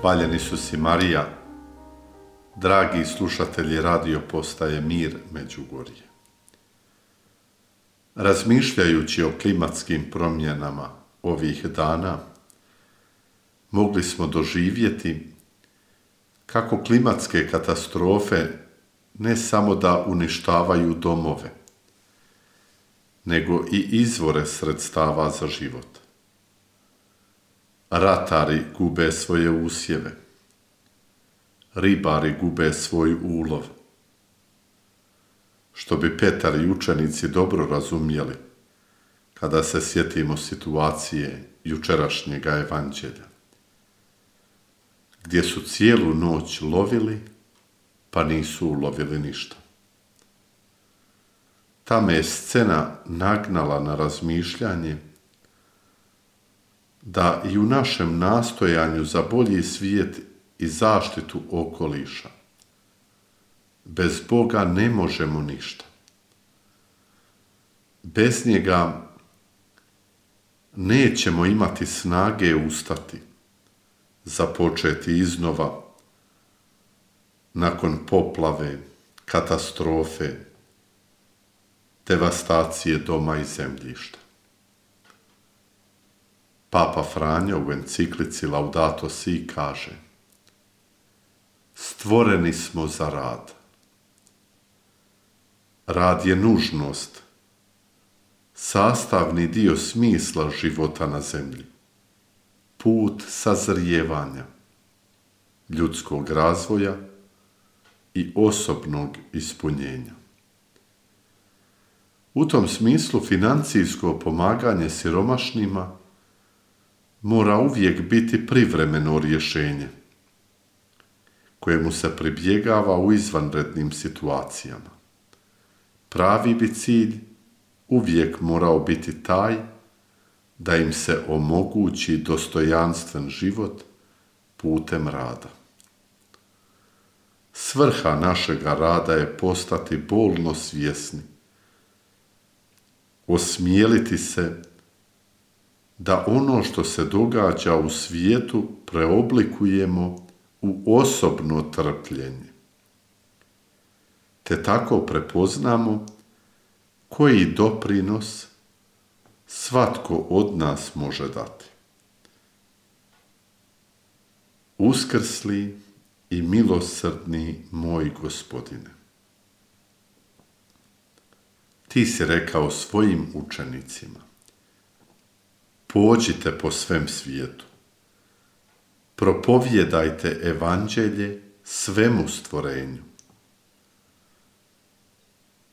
Hvaljeni Isus i Marija, dragi slušatelji radio postaje Mir Međugorje. Razmišljajući o klimatskim promjenama ovih dana, mogli smo doživjeti kako klimatske katastrofe ne samo da uništavaju domove, nego i izvore sredstava za život. Ratari gube svoje usjeve, ribari gube svoj ulov. Što bi Petar i učenici dobro razumjeli kada se sjetimo situacije jučerašnjega evanđelja, gdje su cijelu noć lovili, pa nisu ulovili ništa. Ta me je scena nagnala na razmišljanje da i u našem nastojanju za bolji svijet i zaštitu okoliša bez Boga ne možemo ništa. Bez njega nećemo imati snage ustati, započeti iznova nakon poplave, katastrofe, devastacije doma i zemljišta. Papa Franjo u enciklici Laudato Si kaže: stvoreni smo za rad. Rad je nužnost, sastavni dio smisla života na zemlji, put sazrijevanja, ljudskog razvoja i osobnog ispunjenja. U tom smislu financijsko pomaganje siromašnima mora uvijek biti privremeno rješenje, kojemu se pribjegava u izvanrednim situacijama. Pravi bi cilj uvijek morao biti taj da im se omogući dostojanstven život putem rada. Svrha našega rada je postati bolno svjesni, osmijeliti se da ono što se događa u svijetu preoblikujemo u osobno trpljenje, te tako prepoznamo koji doprinos svatko od nas može dati. Uskrsli i milosrdni moj Gospodine, ti si rekao svojim učenicima: pođite po svem svijetu, propovjedajte evanđelje svemu stvorenju.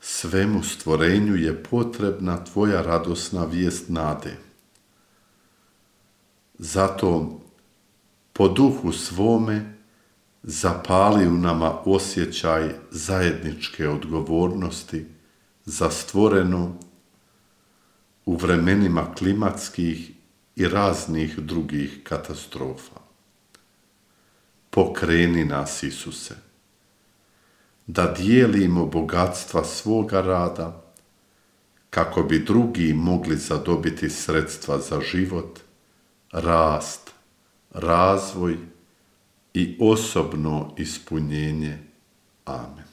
Svemu stvorenju je potrebna tvoja radosna vijest nade. Zato po duhu svome zapali u nama osjećaj zajedničke odgovornosti za stvoreno u vremenima klimatskih i raznih drugih katastrofa. Pokreni nas, Isuse, da dijelimo bogatstva svoga rada, kako bi drugi mogli zadobiti sredstva za život, rast, razvoj i osobno ispunjenje. Amen.